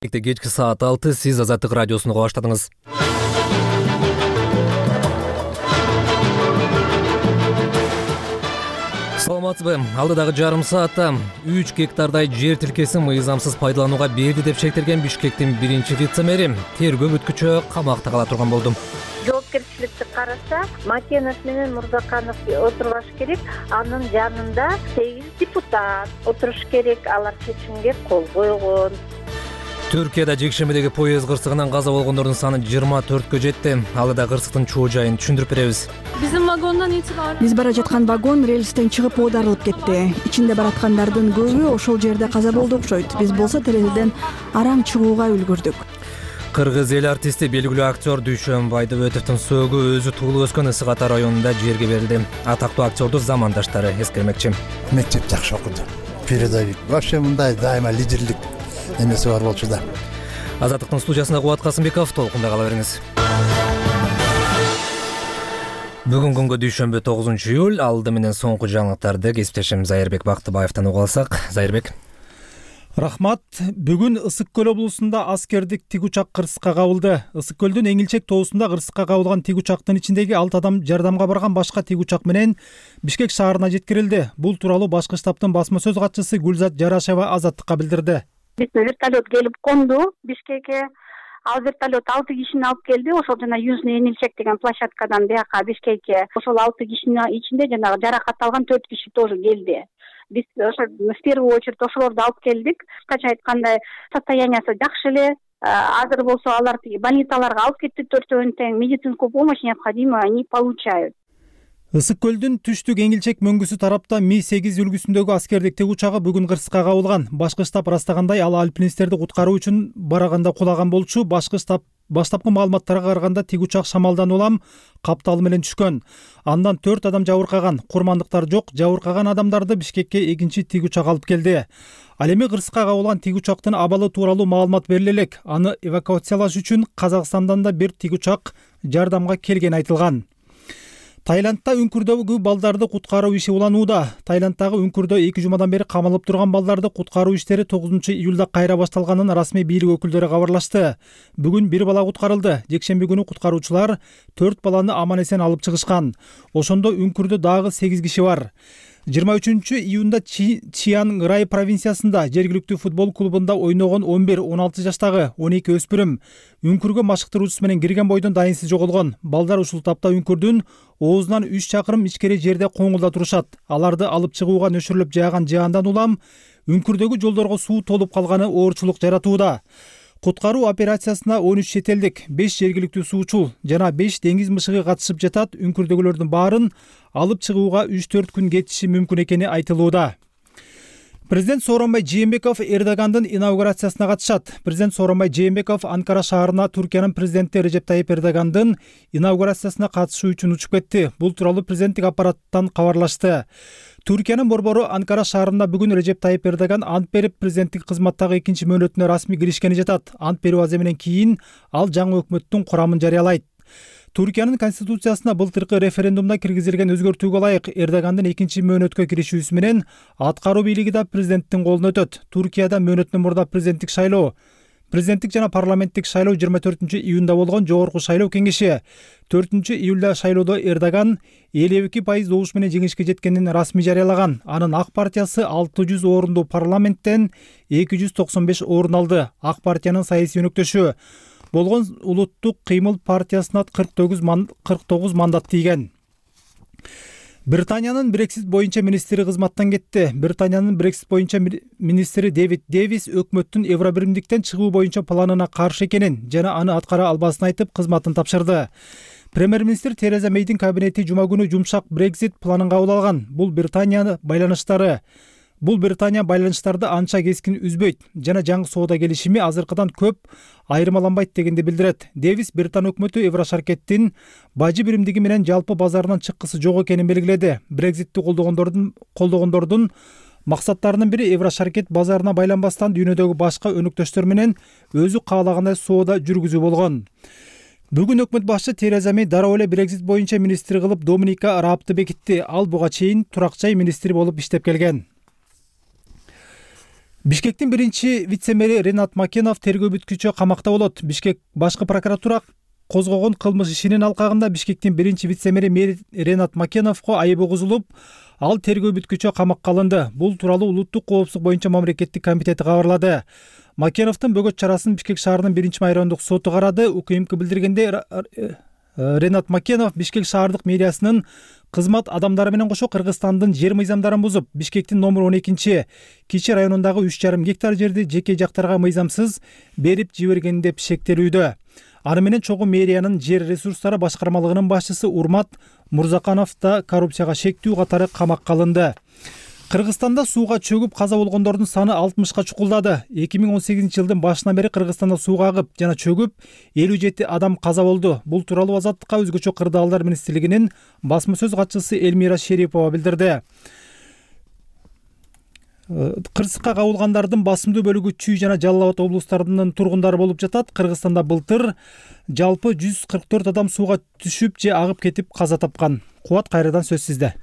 Кечки саат 6 сиз Азаттык радиосун уга баштадыңыз. Саламатсызбы? Алдыдагы жарым саатта 3 гектардай жер тилкесин мыйзамсыз пайдаланууга берди деп шектелген Бишкектин биринчи вице-мэри тергөө бүткүчө камакта кала турган болду. Жоопкерчиликти караса, Макенов менен Мурзаканов отурбаш керек. Анын жанында 8 депутат отуруш керек. Алар чечимге кол койгон. Түркияда жекшембидеги поезд кырсыгынан каза болгондордун саны 24кө жетти. Алда кырсыктын чоо жайын түшүндүрүп беребиз. Биз бара жаткан вагон рельстен чыгып оодарылып кетти. Ичинде бараткандардын көбү ошол жерде каза болду окшойт. Биз болсо терезеден араң чыгууга үлгүрдүк. Кыргыз эл артисти белгилүү актер Дүйшөн Байдыбетовдун сөөгү өзү туулуп өскөн Ысык Ата районунда жерге берилди. Атактуу актерду замандаштары эскермекчи. Мектеп жакшы окуду. Передовик. Вообще мындай дайыма лидерлик эмеси бар болчу да. Азаттыктын студиясында Кубат Касымбеков, толкунда кала бериңиз. Бүгүн күнгө дүйшөмбү 9-июль, алды менен соңку жаңылыктарды кесиптешим Зайырбек Бактыбаевтан угуп алсак. Зайырбек. Рахмат. Бүгүн Ысык көл облусунда аскердик тик учак кырсыкка кабылды. Ысык көлдүн Эңилчек тоосунда кырсыкка кабылган тик учактын ичиндеги 6 адам жардамга барган башка тик учак менен Бишкек шаарына жеткирилди. Бул тууралуу башкы штабтын басма сөз катчысы Гүлзат Жарашева Азаттыкка билдирди. Бизде вертолет келип конду Бишкекке. Ал вертолет 6 кишини алып келди. Ошол жана Южный Эңилчек деген площадкадан бияка Бишкекке. Ошол 6 кишинин ичинде жанагы жаракат алган 4 киши тоже келди. Биз ошо в первую очередь ошолорду алып келдик. Кыскача айтканда состояниясы жакшы эле. Азыр болсо алар больницаларга алып кеттик, 4-өн тең медицинскую помощь необходимо они получают. Ысык көлдүн түштүк Эңилчек мөңгүсү тарапта Ми-8 үлгүсүндөгү аскердик тик учагы бүгүн кырсыкка кабылган. Башкы штаб ырастагандай, ал альпинисттерди куткаруу үчүн барганда кулаган болчу. Башкы штаб баштапкы маалыматтарга караганда тик учак шамалдан улам капталы менен түшкөн. Андан 4 адам жабыркаган. Курмандыктар жок. Жабыркаган адамдарды Бишкекке экинчи тик учак алып келди. Ал эми кырсыкка кабылган тик учактын абалы тууралуу маалымат бериле элек. Аны эвакуациялаш үчүн Казакстандан да бир тик учак жардамга келгени айтылган. Таиландда үңкүрдөгү балдарды куткаруу иши уланууда. Таиланддагы үңкүрдө 2 жумадан бери камалып турган балдарды куткаруу иштери 9-июлда кайра башталганын расмий бийлик өкүлдөрү кабарлашты. Бүгүн бир бала куткарылды. Жекшемби күнү куткаруучулар 4 баланы аман-эсен алып чыгышкан. Ошондо үңкүрдө дагы 8 киши бар. 23-июнда Чиан Рай провинциясында жергиликтүү футбол клубунда ойногон 11-16 жаштагы 12 өспүрүм үңкүргө машыктыруучусу менен кирген бойдон дайынсыз жоголгон. Балдар ушул тапта үңкүрдүн оозунан 3 чакырым ичкери жерде коңулда турушат. Аларды алып чыгууга нөшүрлөп жааган жаандан улам үңкүрдөгү жолдорго суу толуп калганы оорчулук жаратууда. Куткаруу операциясына 13 чет элдик, 5 жергиликтүү суучул жана 5 деңиз мышыгы катышып жатат. Үңкүрдөгүлөрдүн баарын алып чыгууга 3-4 күн кетиши мүмкүн экени айтылууда. Президент Сооронбай Жээнбеков Эрдогандын инаугурациясына катышат. Президент Сооронбай Жээнбеков Анкара шаарына Түркиянын президенти Режеп Тайип Эрдогандын инаугурациясына катышуу үчүн учуп кетти. Бул тууралуу президенттик аппараттан кабарлашты. Түркиянын борбору Анкара шаарында бүгүн Режеп Тайип Эрдоган ант берип, президенттик кызматтагы экинчи мөөнөтүнө расмий киришкени жатат. Ант берүү аземинен кийин ал жаңы өкмөттүн курамын жарыялайт. Туркиянын конституциясына былтыркы референдумда киргизилген өзгөртүүгө ылайык Эрдогандын экинчи мөөнөткө киришүүсү менен аткаруу бийлиги да президенттин колуна өтөт. Туркияда мөөнөттөн мурда президенттик жана парламенттик шайлоо 24-июнда болгон жогорку шайлоо кеңеши. 4-июлда шайлоодо Эрдоган 52% добуш менен жеңишке жеткенин расмий жарыялаган. Анын Ак партиясы 600 орунду парламенттен 295 орун алды. Ак партиянын саясий өнөктөшү болгон Улуттук кыймыл партиясына 49 мандат тийген. Британиянын Брексит боюнча министри кызматтан кетти. Британиянын Брексит боюнча министри Дэвид Дэвис өкмөттүн Евробиримдиктен чыгуу боюнча планына каршы экенин жана аны аткара албасын айтып кызматын тапшырды. Премьер-министр Тереза Мейдин кабинети жума күнү жумшак Брексит планын кабыл алган. Бул Британия байланыштарды анча кескин үзбөйт жана жаңы соода келишими азыркыдан көп айырмаланбайт дегенди билдирет. Дэвис Британ өкмөтү Еврошаркеттин бажы биримдиги менен жалпы базарынан чыккысы жок экенин белгиледи. Брекситти колдогондордун максаттарынын бири Еврошаркет базарына байланбастан дүйнөдөгү башка өнөктөштөр менен өзү каалагандай соода жүргүзүү болгон. Бүгүн өкмөт башчы Тереза Мей дароо эле Брексит боюнча министр кылып Доминика Раабты бекитти. Ал буга чейин турак жай министри болуп иштеп келген. Бишкектин биринчи вице-мэри Ренат Макенов тергөө бүткүчө камакта болот. Бишкек башкы прокуратура козгогон кылмыш ишинин алкагында Бишкектин биринчи вице-мэри Ренат Макеновго айып угузулуп, ал тергөө бүткүчө камакка алынды. Бул тууралуу Улуттук коопсуздук боюнча мамлекеттик комитети кабарлады. Макеновдун бөгөт чарасын Бишкек шаарынын 1-майрандык соту карады. УКМК билдиргенде Ренат Макенов Бишкек шаардык мэриясынын кызмат адамдары менен кошо Кыргызстандын жер мыйзамдарын бузуп, Бишкектин номер 12 Кичи районундагы 3,5 гектар жерди жеке жактарга мыйзамсыз берип жиберген деп шектелүүдө. Аны менен чогуу мэриянын жер ресурстары башкармалыгынын башчысы Урмат Мурзаканов да коррупцияга шектүү катары камакка алынды. Кыргызстанда сууга чөгүп каза болгондордун саны 60ка чукулдады. 2018-жылдын башынан бери Кыргызстанда сууга агып жана чөгүп 57 адам каза болду. Бул тууралуу Азаттыкка өзгөчө кырдаалдар министрлигинин басма сөз катчысы Элмира Шерипова билдирди. Кырсыкка кабылгандардын басымдуу бөлүгү Чүй жана Жалал Абад облустарынын тургундары болуп жатат. Кыргызстанда былтыр жалпы 144 адам сууга түшүп же агып кетип каза тапкан. Кубат, кайрадан сөз сизде.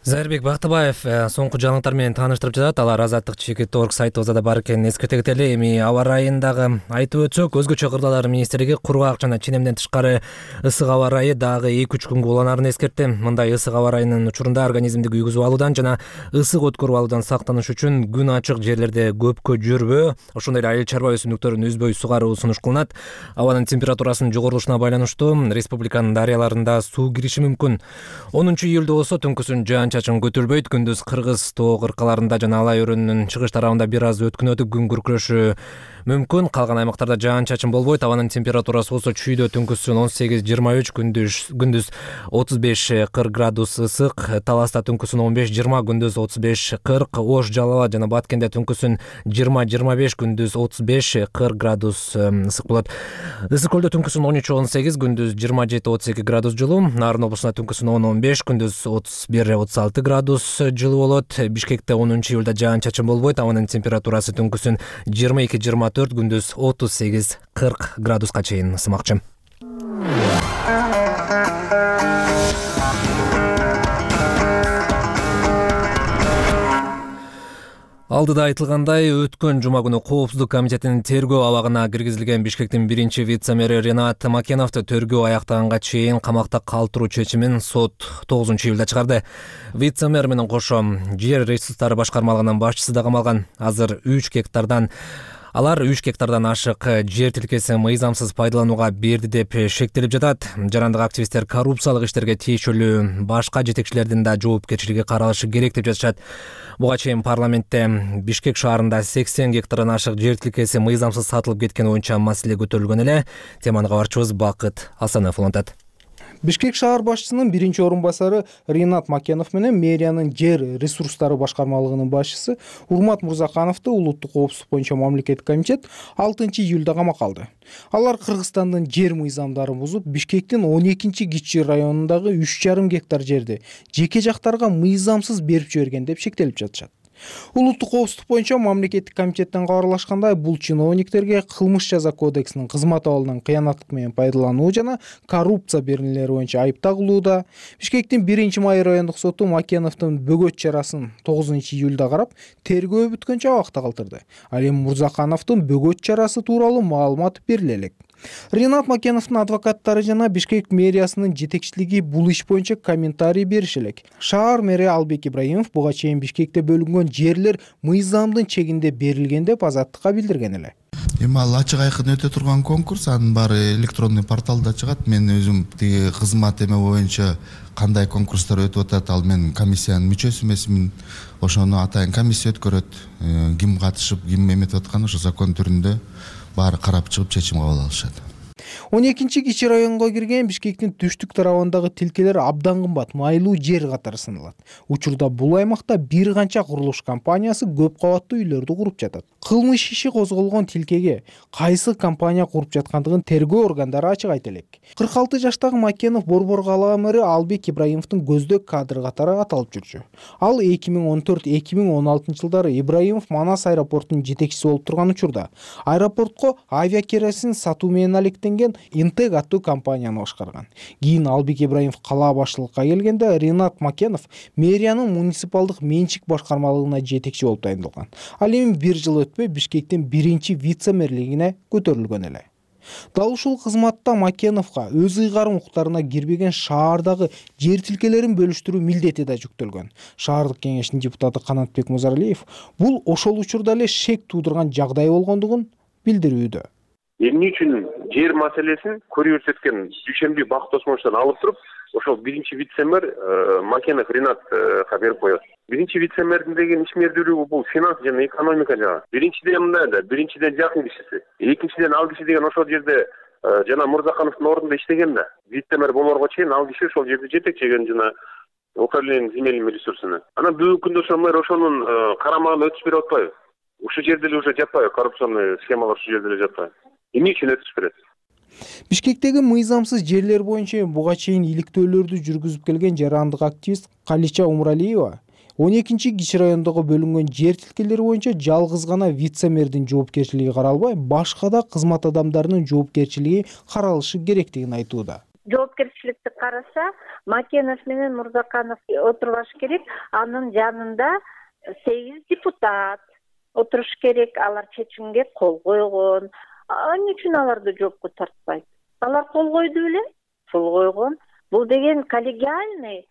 Зайырбек Бактыбаев соңку жаңылыктар менен тааныштырып жатат. Алар Азаттык.org сайтыбызда да бар экенин эскерте кетели. Эми аба ырайын дагы айтып өтсөк, өзгөчө кырдаалдар министрлиги кургак жана ченемден тышкары ысык аба ырайы дагы 2-3 күнгө уланарын эскертти. Мындай ысык аба ырайынын учурунда организмди күйгүзүп алуудан жана ысык өткөрүп алуудан сактаныш үчүн күн ачык жерлерде көпкө жүрбөө, ошондой эле айыл чарба өсүмдүктөрүн үзбөй сугаруу сунуш кылынат. Абанын температурасынын жогорулушуна байланыштуу республиканын дарыяларында суу кириши мүмкүн. 10-июлда болсо түнкүсүн жаан-чачын көтөрүлбөйт. Күндүз Кыргыз тоо кыркаларында жана Алай өрөөнүнүн чыгыш тарабында бир аз өткүн өтүп күн күркүрөшү мүмкүн. Калган аймактарда жаан-чачын болбойт. Абанын температурасы болсо Чүйдө түнкүсүн 18-23, күндүз 35-40 градус ысык, Таласта түнкүсүн 15-20, күндүз 35-40, Ош, Жалал Абад жана Баткенде түнкүсүн 20-25, күндүз 35-40 градус ысык болот. Ысык көлдө түнкүсүн 13-18, күндүз 27-32 градус жылуу, Нарын облусунда түнкүсүн 10-15, күндүз 31-36 градус жылуу болот. Бишкекте 10-июлда жаан-чачын болбойт. Абанын температурасы түнкүсүн 22-24, күндүз 38-40 градуска чейин ысымакчы. Алдыда айтылгандай, өткөн жума күнү Коопсуздук комитетинин тергөө абагына киргизилген Бишкектин биринчи вице-мэри Ренат Макеновду тергөө аяктаганга чейин камакта калтыруу чечимин сот 9-июлда чыгарды. Вице-мэр менен кошо жер ресурстары башкармалыгынын башчысы да камалган. Азыр 3 гектардан ашык жер тилкесин мыйзамсыз пайдаланууга берди деп шектелип жатат. Жарандык активисттер коррупциялык иштерге тиешелүү башка жетекчилердин да жоопкерчилиги каралышы керек деп жатышат. Буга чейин парламентте Бишкек шаарында 80 гектардан ашык жер тилкеси мыйзамсыз сатылып кеткен боюнча маселе көтөрүлгөн эле. Теманы кабарчыбыз Бакыт Асанов улантат. Бишкек шаар башчысынын биринчи орун басары Ренат Макенов менен мэриянын жер ресурстары башкармалыгынын башчысы Урмат Мурзакановду Улуттук коопсуздук боюнча мамлекеттик комитет 6-июлда камакка алды. Алар Кыргызстандын жер мыйзамдарын бузуп, Бишкектин 12-Кичи районундагы 3,5 гектар жерди жеке жактарга мыйзамсыз берип жиберген деп шектелип жатышат. Улуттук коопсуздук боюнча мамлекеттик комитеттен кабарлашкандай, бул чиновниктерге кылмыш жаза кодексинин кызмат абалынан кыянаттык менен пайдалануу жана коррупция беренелери боюнча айып тагылууда. Бишкектин 1-Май райондук соту Макеновдун бөгөт чарасын 9-июлда карап, тергөө бүткөнчө абакта калтырды. Ал эми Мурзакановдун бөгөт чарасы тууралуу маалымат бериле элек. Ренат Макеновдун адвокаттары жана Бишкек мэриясынын жетекчилиги бул иш боюнча комментарий бериш элек. Шаар мэри Албек Ибраимов буга чейин Бишкекте бөлүнгөн жерлер мыйзамдын чегинде берилген деп Азаттыкка билдирген эле. Эми ал ачык айкын өтө турган конкурс, анын баары электронный порталда чыгат. Мен өзүм тиги кызмат эме боюнча кандай конкурстар өтүп атат, ал мен комиссиянын мүчөсү эмесмин. Ошону атайын комиссия өткөрөт. Ким катышып, ким эметип аткан ошо закон түрүндө баары карап чыгып чечим кабыл алышат. 12-Кичи районго кирген Бишкектин түштүк тарабындагы тилкелер абдан кымбат, майлуу жер катары саналат. Учурда бул аймакта бир канча курулуш компаниясы көп кабаттуу үйлөрдү куруп жатат. Кылмыш иши козголгон тилкеге кайсы компания куруп жаткандыгын тергөө органдары ачык айта элек. 46 жаштагы Макенов Борбор калаа мэри Албек Ибраимовдун көздөк кадры катары аталып жүрчү. Ал 2014-2016 жылдары Ибраимов Манас аэропортунун жетекчиси болуп турган учурда аэропортко авиакеросин сатуу менен алектенген келген Интег аттуу компанияны башкарган. Кийин Албек Ибраимов кала башчылыкка келгенде Ринат Макенов мэриянын муниципалдык менчик башкармалыгына жетекчи болуп дайындалган. Ал эми бир жыл өтпөй Бишкектин биринчи вице-мэрлигине көтөрүлгөн эле. Дал ушул кызматта Макеновго өз ыйгарым укуктарына кирбеген шаардагы жер тилкелерин бөлүштүрүү милдети да жүктөлгөн. Шаардык кеңештин депутаты Канатбек Музаралиев бул ошол учурда эле шек туудурган жагдай болгондугун билдирүүдө. Эмне үчүн жер маселесин көрсөткөн Дүйшөмбү Бакыт Осмоновичтон алып туруп, ошол биринчи вице-мэр Макенов Ринатка берип коет. Биринчи вице-мэрдин деген ишмердүүлүгү бул финанс жана экономика жагы. Биринчиден мындай да, биринчиден жакын кишиси. Экинчиден ал киши деген ошол жерде жана Мурзакановдун ордунда иштеген да. Вице-мэр болорго чейин ал киши ошол жерде жетекчеген жана управление земельными ресурсами. Анан бүгүнкү күндө ошол мэр ошонун карамагына өтүш берип атпайбы? Ушул жерде эле уже жатпайбы? Коррупционный схемалар ушул жерде эле жатпайбы? Эмне үчүн өтүш берет? Бишкектеги мыйзамсыз жерлер боюнча буга чейин иликтөөлөрдү жүргүзүп келген жарандык активист Калича Умралиева 12 кичи райондогу бөлүнгөн жер тилкелери боюнча жалгыз гана вице-мэрдин жоопкерчилиги каралбай, башка да кызмат адамдарынын жоопкерчилиги каралышы керектигин айтууда. Жоопкерчиликти караса, Макенов менен Мурзаканов отурбаш керек. Анын жанында 8 депутат отуруш керек. Алар чечимге кол койгон. Эмне үчүн аларды жоопко тартпайт? Алар кол койду беле? Кол койгон. Бул деген коллегиальный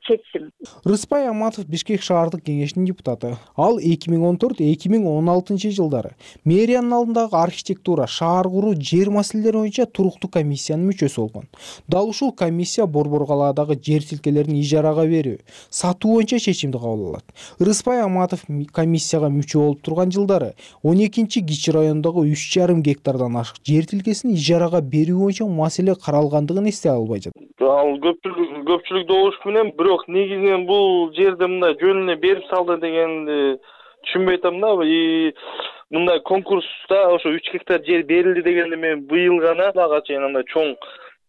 чечим. Рыспай Аматов Бишкек шаардык кеңешинин депутаты. Ал 2014-2016 жылдары мэриянын алдындагы архитектура, шаар куруу, жер маселелери боюнча туруктуу комиссиянын мүчөсү болгон. Дал ушул комиссия Борбор калаадагы жер тилкелерин ижарага берүү, сатуу боюнча чечимди кабыл алат. Рыспай Аматов комиссияга мүчө болуп турган жылдары 12 кичи райондогу 3,5 гектардан ашык жер тилкесин ижарага берүү боюнча маселе каралгандыгын эстей албай жатат. Ал көпчүлүк добуш менен, бирок негизинен бул жерде мындай жөнүнө берип салды дегенди түшүнбөй атам да. Мындай конкурста ошо 3 гектар жер берилди дегенде мен быйыл гана ага чейин андай чоң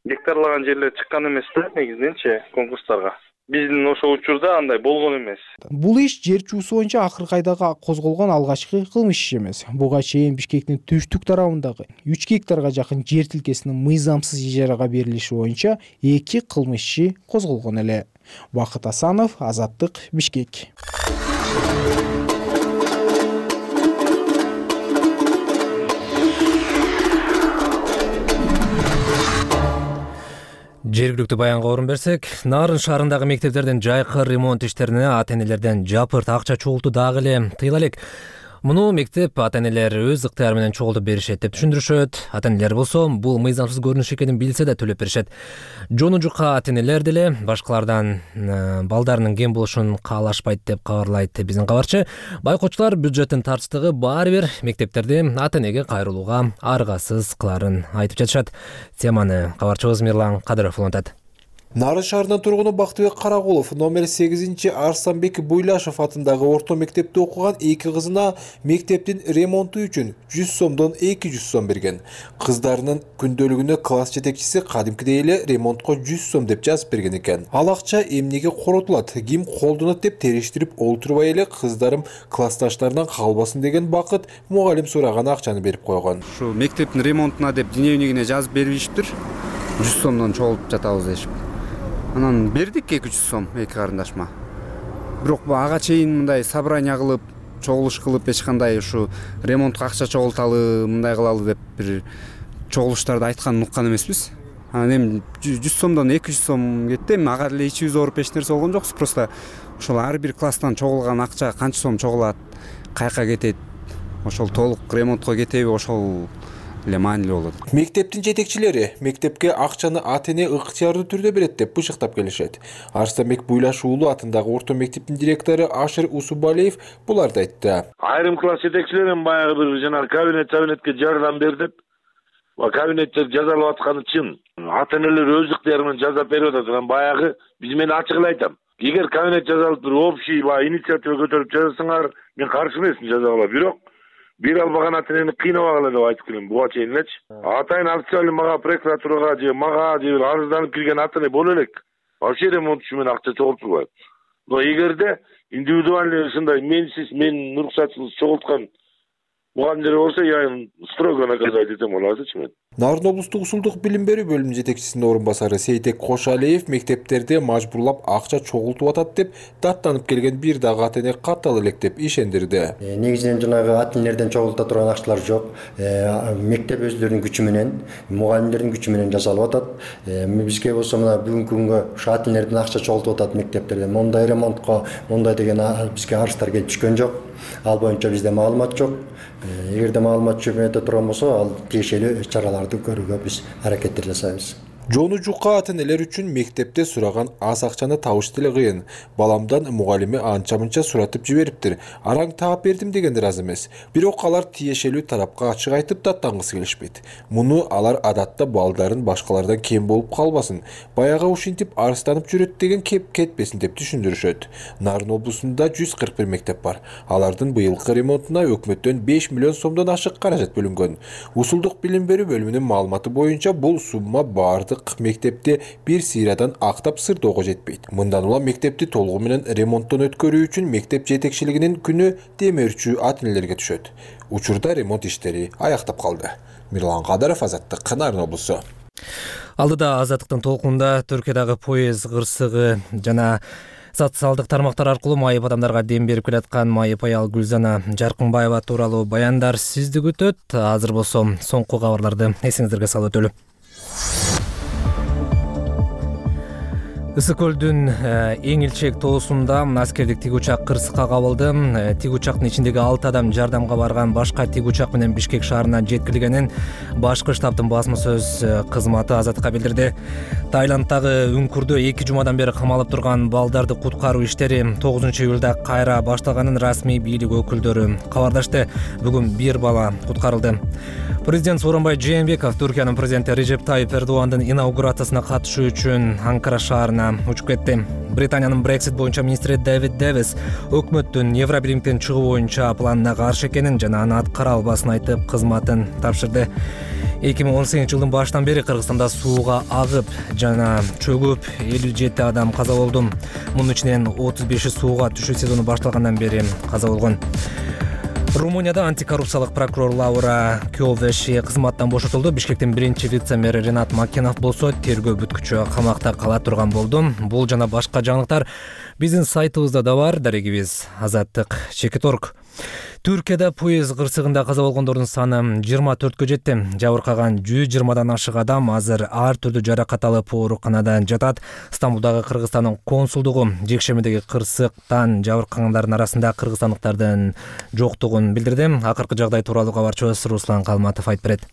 гектарлаган жерлер чыккан эмес да негизиненчи конкурстарга. Биздин ошол учурда андай болгон эмес. Бул иш жер чуусу боюнча акыркы айда козголгон алгачкы кылмыш иш эмес. Буга чейин Бишкектин түштүк тарабындагы 3 гектарга жакын жер тилкесинин мыйзамсыз ижарага берилиши боюнча 2 кылмыш иши козголгон эле. Бакыт Асанов, Азаттык, Бишкек. Жергиликтүү баянга орун берсек, Нарын шаарындагы мектептердин жайкы ремонт иштерине ата-энелерден жапырт акча чогултуу дагы эле тыйыла элек. Муну мектеп ата-энелер өз ыктыяры менен чогултуп беришет деп түшүндүрүшөт. Ата-энелер болсо бул мыйзамсыз көрүнүш экенин билсе да төлөп беришет. Жону жука ата-энелер деле башкалардан балдарынын кем болушун каалашпайт деп кабарлайт биздин кабарчы. Байкоочулар бюджеттин тартыштыгы баары бир мектептерди ата-энеге кайрылууга аргасыз кыларын айтып жатышат. Теманы кабарчыбыз Мирлан Кадыров улантат. Нарын шаарынын тургуну Бактыбек Каракулов номер 8 Арсланбек Буйлашев атындагы орто мектепте окуган 2 кызына мектептин ремонту үчүн 100 сомдон 200 сом берген. Кыздарынын күндөлүгүнө класс жетекчиси кадимкидей эле ремонтко 100 сом деп жазып берген экен. Ал акча эмнеге коротулат, ким колдонот деп териштирип олтурбай эле кыздарым классташтарынан калбасын деген Бакыт мугалим сураган акчаны берип койгон. Ушу мектептин ремонтуна деп дневнигине жазып беришиптир. 100 сомдон чогултуп жатабыз дешип. Анан бердик 200 сом эки карындашма. Бирок ага чейин мындай собрание кылып, чогулуш кылып эч кандай ушу ремонтко акча чогулталы, мындай кылалы деп бир чогулуштарды айтканын уккан эмеспиз. Анан эми 100 сомдон 200 сом кетти. Эми ага деле ичибиз ооруп эч нерсе болгон жокпуз. Просто ошол ар бир класстан чогулган акча канча сом чогулат, каяка кетет, ошол толук ремонтко кетеби, ошол эле маанилүү болот. Мектептин жетекчилери мектепке акчаны ата-эне ыктыярдуу түрдө берет деп бышыктап келишет. Арсланбек Буйлашев уулу атындагы орто мектептин директору Ашир Усубалиев буларды айтты. Айрым класс жетекчилерин баягы бир жана кабинетке жардам бер деп, кабинеттер жазалап атканы чын. Ата-энелер өз ыктыяры менен жазап берип атат. Анан баягы биз мен ачык эле айтам. Эгер кабинет жазалып туруп, общий инициатива көтөрүп жазасаңар, мен каршы эмесмин жазалап. Бирок бир албаган ата-энени кыйнабагыла деп айтып келем буга чейин элечи. Атайын официально мага прокуратурага же мага же арызданып кирген ата-эне боло элек. Вообще ремонт үчүн мен акча чогултпайт. Но эгерде индивидуальный ушундай менсиз, мен уруксатсыз чогулткан мугалимдер болсо я строго наказать этем боласычы мен. Нарын облустук ушулдук билим берүү бөлүмүнүн жетекчисинин орун басары Сейтек Кошалиев мектептерде мажбурлап акча чогултуп атат деп даттанып келген бир дагы ата эне каттал элек деп ишендирди. Негизинен жанагы ата энелерден чогулта турган акчалар жок. Мектеп өздөрүнүн күчү менен, мугалимдердин күчү менен жасалып атат. Бизге болсо мына бүгүнкү күнгө ушу ата энелерден акча чогултуп атат мектептерде. Мондай ремонтко, мондай деген бизге арыздар келип түшкөн жок. Ал боюнча бизде маалымат жок. Эгерде маалымат жөнөтө турган болсо, ал тиешелүү чараларды көрүүгө биз аракеттер жасайбыз. Жону жукка ата энелер үчүн мектепте сураган аз акчаны табыш деле кыйын. Баламдан мугалими анча-мынча суратып жибериптир. Араң таап бердим дегендер аз эмес. Бирок алар тиешелүү тарапка ачык айтып даттангысы келишпейт. Муну алар адатта балдарын башкалардан кем болуп калбасын, баягы ушинтип арыстанып жүрөт деген кеп кетпесин деп түшүндүрүшөт. Нарын облусунда 141 мектеп бар. Алардын быйылкы ремонтуна өкмөттөн 5 миллион сомдон ашык каражат бөлүнгөн. Ушулдук билим берүү бөлүмүнүн маалыматы боюнча бул сумма бардык мектепте бир сыйрадан актап сырдоого жетпейт. Мындан улам мектепти толугу менен ремонттон өткөрүү үчүн мектеп жетекчилигинин күнү демирчү ата энелерге түшөт. Учурда ремонт иштери аяктап калды. Мирлан Кадаров, Азаттык, Нарын облусу. Алдыда Азаттыктын толкунунда Түркиядагы поезд кырсыгы жана социалдык тармактар аркылуу майып адамдарга дем берип келаткан майып аял Гүлзана Жаркынбаева тууралуу баяндар сизди күтөт. Азыр болсо соңку кабарларды эсиңиздерге салып өтөлү. Ысык көлдүн Эңилчек тоосунда аскердик тик учак кырсыкка кабылды. Тик учактын ичиндеги 6 адам жардамга барган, башка тик учак менен Бишкек шаарына жеткирилгенин башкы штабтын басма сөз кызматы Азаттыкка билдирди. Таиланддагы Үңкүрдө 2 жумадан бери камалып турган балдарды куткаруу иштери 9-июлда кайра башталганын расмий бийлик өкүлдөрү кабардашты. Бүгүн бир бала куткарылды. Президент Сооронбай Жээнбеков Түркиянын президенти Режеп Тайип Эрдогандын инаугурациясына катышуу үчүн Анкара шаарына учуп кетти. Британиянын Brexit боюнча министри Дэвид Дэвис өкмөттүн Евробиримден чыгуу боюнча планына каршы экенин жана аны аткара албасын айтып кызматын тапшырды. 2018 жылдын башынан бери Кыргызстанда сууга агып жана чөгүп 57 адам каза болду. Мунун ичинен 35 сууга түшүү сезону башталгандан бери каза болгон. Румынияда антикоррупциялык прокурор Лаура Кёвеши кызматтан бошотулду. Бишкектин биринчи вице-мэри Ринат Макенов болсо тергөө бүткүчү камакта кала турган болду. Бул жана башка жаңылыктар биздин сайтыбызда да бар. Дарегибиз Азаттык.org. Түркияда поезд кырсыгында каза болгондордун саны 24кө жетти. Жабыркаган 120дан ашык адам азыр ар түрдүү жаракат алып ооруканада жатат. Стамбулдагы Кыргызстандын консулдугу жекшемедеги кырсыктан жабыркагандардын арасында кыргызстандыктардын жоктугун билдирди. Акыркы жагдай тууралуу кабарчыбыз Руслан Калматов айтып берет.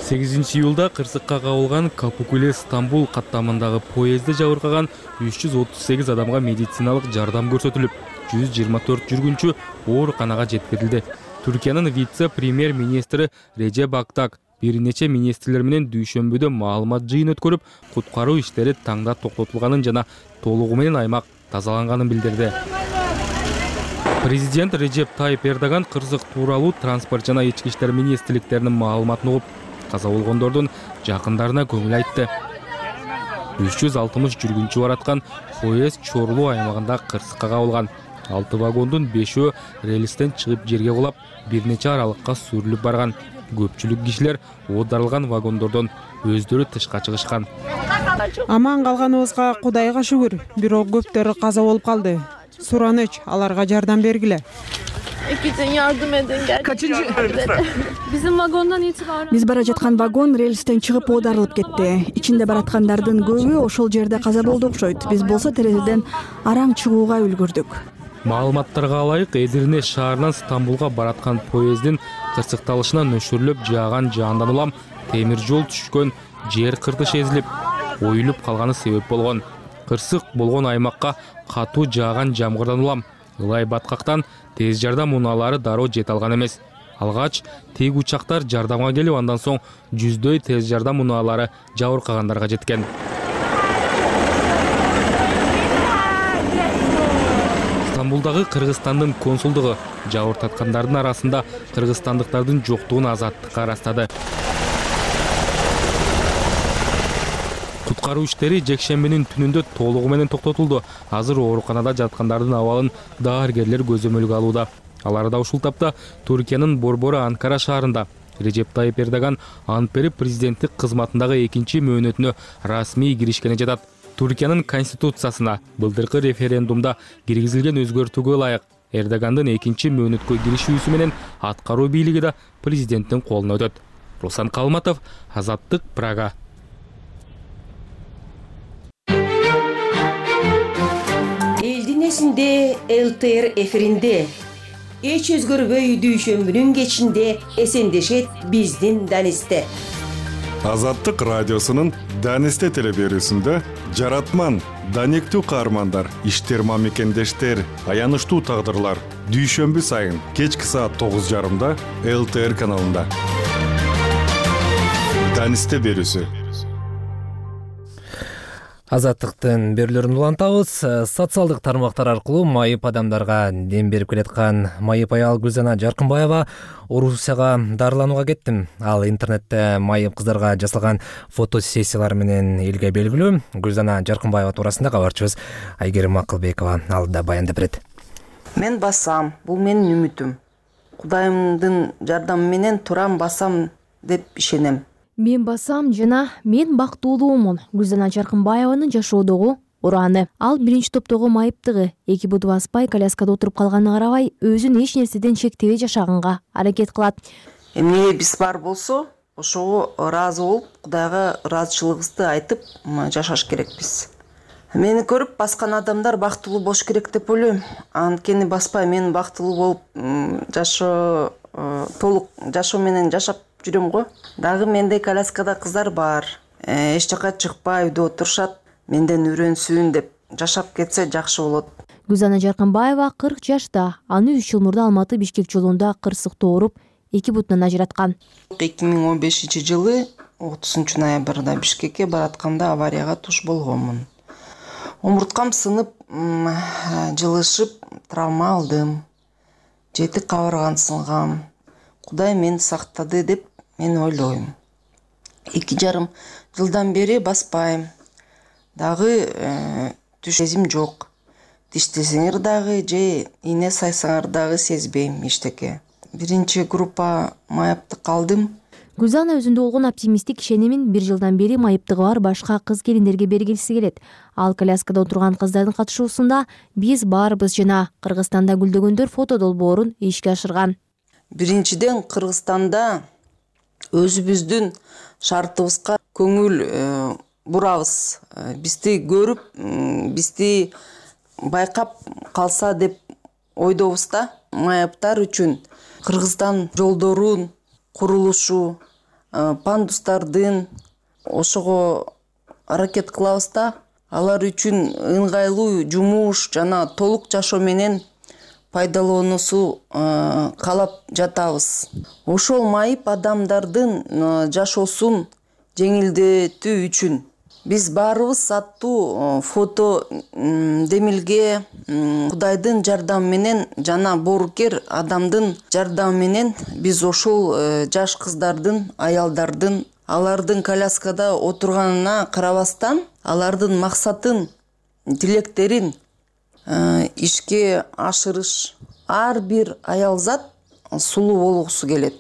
8-июлда кырсыкка кабылган Капукуле-Стамбул каттамындагы поездде жабыркаган 338 адамга медициналык жардам көрсөтүлүп, 124 жүргүнчү ооруканага жеткирилди. Түркиянын вице-премьер-министри Режеп Актак бир нече министрлер менен дүйшөмбүдө маалымат жыйын өткөрүп, куткаруу иштери таңда токтотулганын жана толугу менен аймак тазаланганын билдирди. Президент Режеп Тайип Эрдоган кырсык тууралуу транспорт жана ички иштер министрликтеринин маалыматын угуп, каза болгондордун жакындарына көңүл айтты. 360 жүргүнчү бараткан поезд Чорлуу аймагында кырсыкка кабылган. 6 вагондун 5-өө рельстен чыгып жерге кулап, бир нече аралыкка сүрүлүп барган. Көпчүлүк кишилер оодарылган вагондордон өздөрү тышка чыгышкан. Аман калганыбызга Кудайга шүгүр, бирок көптөрү каза болуп калды. Сураныч, аларга жардам бергиле. Yardım edin gerçekten. Bizim vagondan itibaren Биз бара жаткан вагон рельстен чыгып оодарылып кетти. Ичинде бараткандардын көбү ошол жерде каза болду окшойт. Биз болсо терезеден араң чыгууга үлгүрдүк. Маалыматтарга ылайык, Эдирне шаарынан Стамбулга бараткан поездин кырсыкталышына нөшөрлөп жааган жаандан улам темир жол түшкөн жер кыртыш эзилип, оюлуп калганы себеп болгон. Кырсык болгон аймакка катуу жааган жамгырдан улам ылай баткактан тез жардам унаалары дароо жете алган эмес. Алгач тик учактар жардамга келип, андан соң жүздөй тез жардам унаалары жабыркагандарга жеткен. Стамбулдагы Кыргызстандын консулдугу жабыркаткандардын арасында кыргызстандыктардын жоктугун Азаттыкка ырастады. Куткаруу иштери жекшембинин түнүндө толугу менен токтотулду. Азыр ооруканада жаткандардын абалын дааргерлер көзөмөлгө алууда. Алар да ушул тапта Туркиянын борбору Анкара шаарында Режеп Тайып Эрдоган ант берип президенттик кызматындагы экинчи мөөнөтүнө расмий киришкени жатат. Туркиянын конституциясына былтыркы референдумда киргизилген өзгөртүүгө ылайык Эрдогандын экинчи мөөнөткө киришүүсү менен аткаруу бийлиги да президенттин колуна өтөт. Руслан Калматов, Азаттык, Прага. Элдин эсинде ЛТР эфиринде эч өзгөрбөй дүйшөмбүнүн кечинде эсендешет биздин Данисте. Азаттык радиосунун Данисте телеберүүсүндө жаратман, данектүү каармандар, иштер мамекендештер, аянычтуу тагдырлар дүйшөмбү сайын кечки саат 9:30 ЛТР каналында. Данисте берүүсү. Азаттыктын берүүлөрүн улантабыз. Социалдык тармактар аркылуу майып адамдарга дем берип келаткан майып аял Гүлзана Жаркынбаева Орусияга дарыланууга кеттим. Ал интернетте майып кыздарга жасалган фотосессиялар менен элге белгилүү. Гүлзана Жаркынбаева туурасында кабарчыбыз Айгерим Акылбекова алдыда баяндап берет. Мен басам, бул менин үмүтүм. Кудайымдын жардамы менен турам басам деп ишенем. Мен басам жана мен бактылуумун. Гүлзана Жаркынбаеванын жашоодогу ураны. Ал биринчи топтогу майыптыгы. Эки буту баспай коляскада отуруп калганына карабай, өзүн эч нерседен чектебей жашаганга аракет кылат. Эмне биз бар болсо, ошого ыраазы болуп, Кудайга ыраазычылыгыбызды айтып жашаш керекпиз. Мени көрүп баскан адамдар бактылуу болуш керек деп ойлойм. Анткени баспай мен бактылуу болуп толук жашоо менен жашап жүрөм го. Дагы мендей коляскада кыздар бар. Эч жака чыкпай үйдө отурушат. Менден үйрөнсүн деп жашап кетсе жакшы болот. Гүлзана Жаркынбаева 40 жашта. Аны 3 жыл мурда Алматы Бишкек жолунда кырсыктоо ооруп, эки бутунан ажыраткан. 2015-жылы 30 ноябрда Бишкекке баратканда аварияга туш болгонмун. Омурткам сынып, жылышып, травма алдым. 7 кабыргам сынгам. Кудай мени сактады деп мен ойлойм. 2,5 жылдан бери баспайм. Дагы түш сезим жок. Диштесеңер дагы же ийне сайсаңар дагы сезбейм эчтеке. Биринчи группа майыптык калдым. Гүлзана өзүндө болгон оптимисттик ишенимин 1 жылдан бери майыптыгы бар башка кыз келиндерге бергилиси келет. Ал коляскада отурган кыздардын катышуусунда биз баарыбыз жана Кыргызстанда гүлдөгөндөр фото долбоорун ишке ашырган. Биринчиден Кыргызстанда өзүбүздүн шартыбызга көңүл бурабыз. Бизди көрүп, бизди байкап калса деп ойдобуз да. Майыптар үчүн Кыргызстан жолдорун курулушу, пандустардын ошого аракет кылабыз да. Алар үчүн ыңгайлуу жумуш жана толук жашоо менен пайдалануусу каалап жатабыз. Ошол майып адамдардын жашоосун жеңилдетүү үчүн биз баарыбыз аттуу фото демилге Кудайдын жардамы менен жана боорукер адамдын жардамы менен биз ошол жаш кыздардын, аялдардын, алардын коляскада отурганына карабастан, алардын максатын, тилектерин ишке ашырыш. Ар бир аялзат сулуу болгусу келет.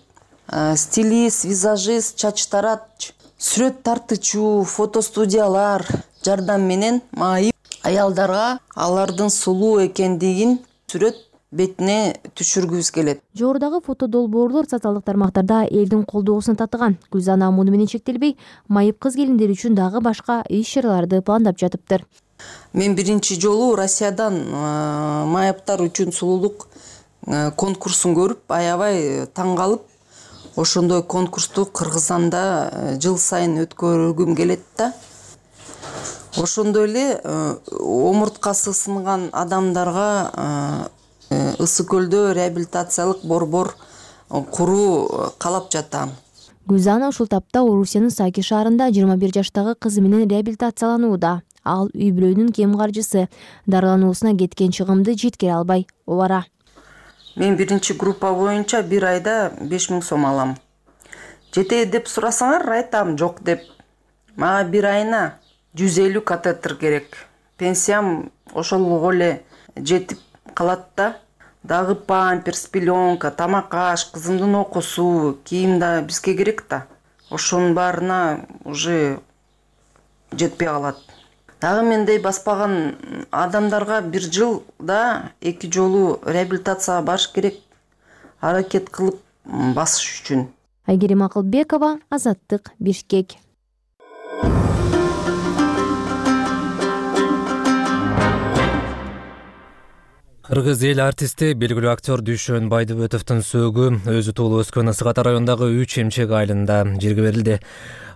Стилист, визажист, чач тарач, сүрөт тартуучу, фотостудиялар жардам менен майып аялдарга алардын сулуу экендигин сүрөт бетине түшүргүбүз келет. Жогорудагы фото долбоорлор социалдык тармактарда элдин колдоосун татыган. Гүлзана муну менен чектелбей, майып кыз келиндер үчүн дагы башка иш-чараларды пландап жатыптыр. Мен биринчи жолу Россиядан майыптар үчүн сулуулук конкурсун көрүп, аябай таң калып, ошондой конкурсту Кыргызстанда жыл сайын өткөргүм келет да. Ошондой эле омурткасы сынган адамдарга Ысык көлдө реабилитациялык борбор куруу каалап жатам. Гүлзана ушул тапта Орусиянын Саки шаарында 21 жаштагы кызы менен реабилитацияланууда. Ал үй-бүлөнүн кем каржысы, дарылануусуна кеткен чыгымды жеткире албай обара. Мен биринчи группа боюнча 1 айда 5000 сом алам. Жетет деп сурасаңар, айтам жок деп. Мага 1 айына 150 катетр керек. Пенсиям ошол эле жетип калат да. дагы памперс, пеленка, тамак аш, кызымдын окуусу, кийим да бизге керек да. Ошонун баарына уже жетпей калат. Дагы мендей баспаган адамдарга 1 жылда 2 жолу реабилитацияга барыш керек, аракет кылып басыш үчүн. Айгерим Акылбекова, Азаттык, Бишкек. Кыргыз эл артисти, белгилүү актер Дүйшөн Байдыбетовдун сөөгү өзү туулуп өскөн Ысык Ата районундагы 3 эмчек айылында жерге берилди.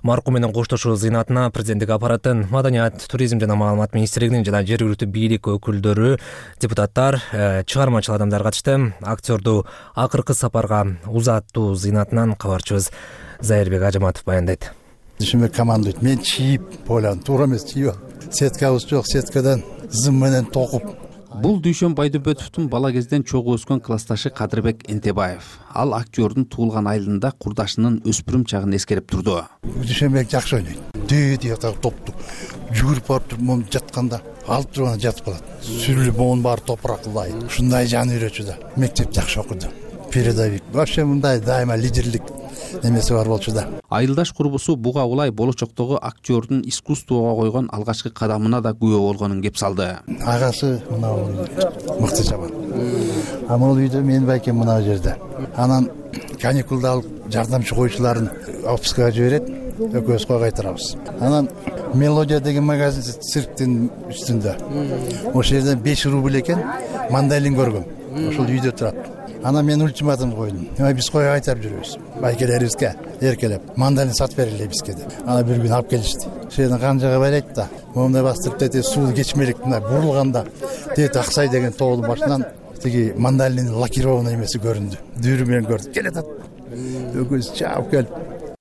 Маркум менен коштошуу зыйнатына президенттик аппараттын, Маданият, туризм жана маалымат министрлигинин жана жергиликтүү бийлик өкүлдөрү, депутаттар, чыгармачыл адамдар катышты. Актерду акыркы сапарга узаттуу зыйнатынан кабарчыбыз Зайырбек Ажаматов баяндайт. Дүйшөнбек командуйт. Мен чийип ойландым, туура эмес чийип. Сеткабыз жок, сеткадан зым менен токуп. Бул Дүйшөн Байдыбетовдун бала кезден чогуу өскөн классташы Кадырбек Энтебаев. Ал актердун туулган айылында курдашынын өспүрүм чагын эскерип турду. Дүйшөнбек жакшы ойнойт. Дээд топту жүгүрүп барып туруп мом жатканда алып турганда жатып калат. Сүрүлүп монун баары топуракылдай. Ушундай жан үйрөтчү да. Мектеп жакшы окуду. Передовик. Вообще мындай дайыма лидерлик немеси бар болчу да. Айылдаш курбусу буга улай болочоктогу актердун искусствого койгон алгачкы кадамына да күбө болгонун кеп салды. Агасы мына мыкты жаман. Амал үйдө мен байкем мына жерде. Анан каникулда алып жардамчы коюучуларын отпускага жиберет, экөөбүз кайтарабыз. Анан Мелодия деген магазин цирктин үстүндө. Ошол жерден 5 рубль экен, мандалин көргөм. Ошол үйдө турат. Анан мен ультиматум койдум. Биз кой кайтарып жүрөбүз. Байкелерибизге эркелеп, мандалин сатып берели бизге деп. Ана бир күн алып келишти. Ошол канжага барайт да, момундай бастырып тете суу кечмелик мына бурулганда тете Аксай деген тоолун башынан тиги мандалин лакированный эмеси көрүндү. Дүүрү менен көрдүк. Келатат. Өгөз чаап келип.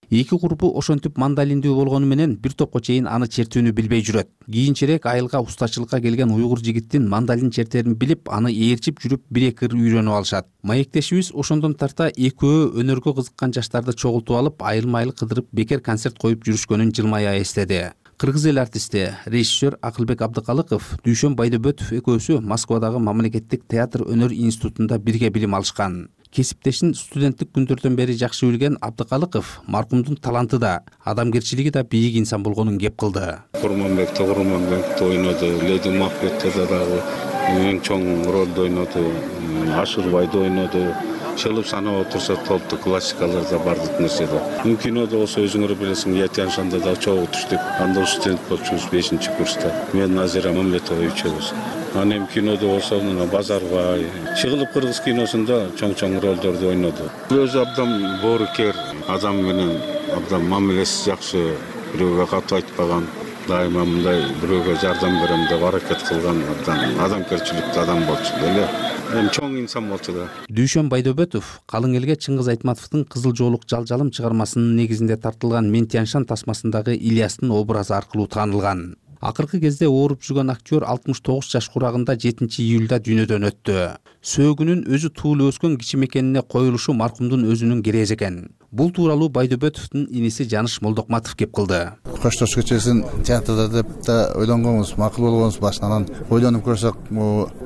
Эки курбу ошентип мандалиндүү болгону менен бир топко чейин аны чертүүнү билбей жүрөт. Кийинчерээк айылга устачылыкка келген уйгур жигиттин мандалин чертерин билип, аны ээрчип жүрүп 1-2 ыр үйрөнүп алышат. Маектешибиз ошондон тарта экөө өнөргө кызыккан жаштарды чогултуп алып, айыл-майыл кыдырып бекер концерт коюп жүрүшкөнүн жылмая эстеди. Кыргыз эл артисти, режиссер Акылбек Абдыкалыков, Дүйшөн Байдыбетов экөөсү Москвадагы мамлекеттик театр өнөр институтунда бирге билим алышкан. Кесиптешин студенттик күндөрдөн бери жакшы билген Абдыкалыков маркумдун таланты да, адамгерчилиги да бийик инсан болгонун кеп кылды. Курманбекте ойноду, Леди Макбетте дагы эң чоң ролду ойноду, Ашырбайды ойноду. Чылып санап отурса толту классикаларда бардык нерседе. Кинодо болсо өзүңөр билесиң, Ятяншанда да чогуу түштүк. Анда студент болчубуз 5-курста. Мен Назира Мамлетова үчөөбүз. Анан кинодо болсо Базарбай, чыгылып кыргыз киносунда чоң ролдорду ойноду. Өзү абдан боорукер, адам менен абдан мамилеси жакшы, бирөөгө кат айтпаган, дайыма мындай бирөөгө жардам берем деп аракет кылган адамгерчиликтүү адам болчу эле. Чоң инсан болчу да. Дүйшөн Байдыбетов калың элге Чыңгыз Айтматовдун Кызыл жоолук жалжалым чыгармасынын негизинде тартылган Мен Тяньшан тасмасындагы Ильястын образы аркылуу таанылган. Акыркы кезде ооруп жүргөн актер 69 жаш курагында 7-июлда дүйнөдөн өттү. Сөөгүнүн өзү туулуп өскөн кичи мекенине коюлушу маркумдун өзүнүн керези экен. Бул тууралуу Байдыбетовдун иниси Жаныш Молдокматов кеп кылды. Коштош кечесин театрда деп да ойлонгонбуз, макул болгонбуз башынан. Ойлонуп көрсөк,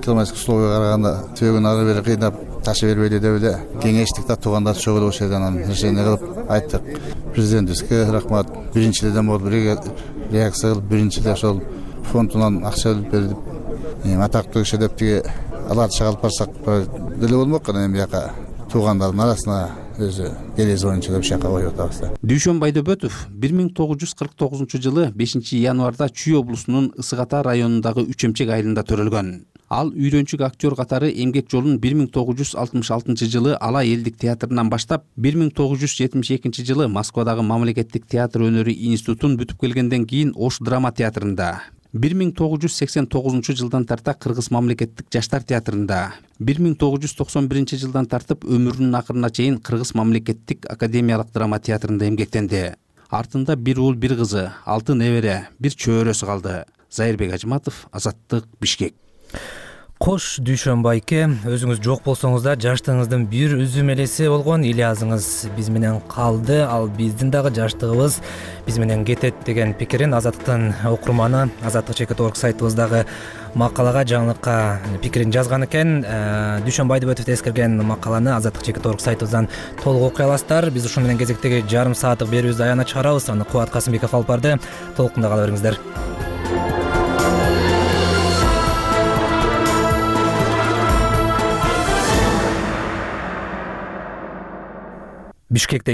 климатик условияга караганда сөөгүн ары бери кыйнап ташы бербейли деп эле кеңештик да туугандар чогулуп ошол жерден решение кылып айттык. Президентибизге рахмат. Биринчиден болуп реакция кылып, биринчиде ошол фондунан акча берип, атактуу киши деп тиги аларды чыгарып барсак деле болмок кана эми жака туугандардын арасына өзү келези боюнча деп шака коюп атабыз. Дүйшөн Байдыбетов 1949-жылы 5-январда Чүй облусунун Ысык Ата районундагы 3 эмчек айылында төрөлгөн. Ал үйрөнчүк актер катары эмгек жолун 1966-жылы Ала элдик театрынан баштап, 1972-жылы Москвадагы мамлекеттик театр өнөрү институтун бүтүп келгенден кийин Ош драма театрында, 1989-жылдан тарта Кыргыз мамлекеттик жаштар театрында, 1991-жылдан тартып өмүрүнүн акырына чейин Кыргыз мамлекеттик академиялык драма театрында эмгектенди. Артында 1 уул 1 кызы, 6 небере, 1 чөбөрөсү калды. Зайырбек Ажматов, Азаттык, Бишкек. Кош Дүйшөнбайке, өзүңүз жок болсоңуз да жаштыгыңыздын бир үзүм элеси болгон Ильязыңыз биз менен калды. Ал биздин дагы жаштыгыбыз биз менен кетет деген пикирин Азаттыктын окурманы azattik.org сайтыбыздагы макалага, жаңылыкка пикирин жазган экен. Дүйшөнбайдыбетов эскерген макаланы azattik.org сайтыбыздан толук окуй аласыздар. Биз ушун менен кезектеги жарым сааттык берүүбүздү аягына чыгарабыз. Аны Кубат Касымбеков алып барды. Толкунда кала бериңиздер. Бишкекте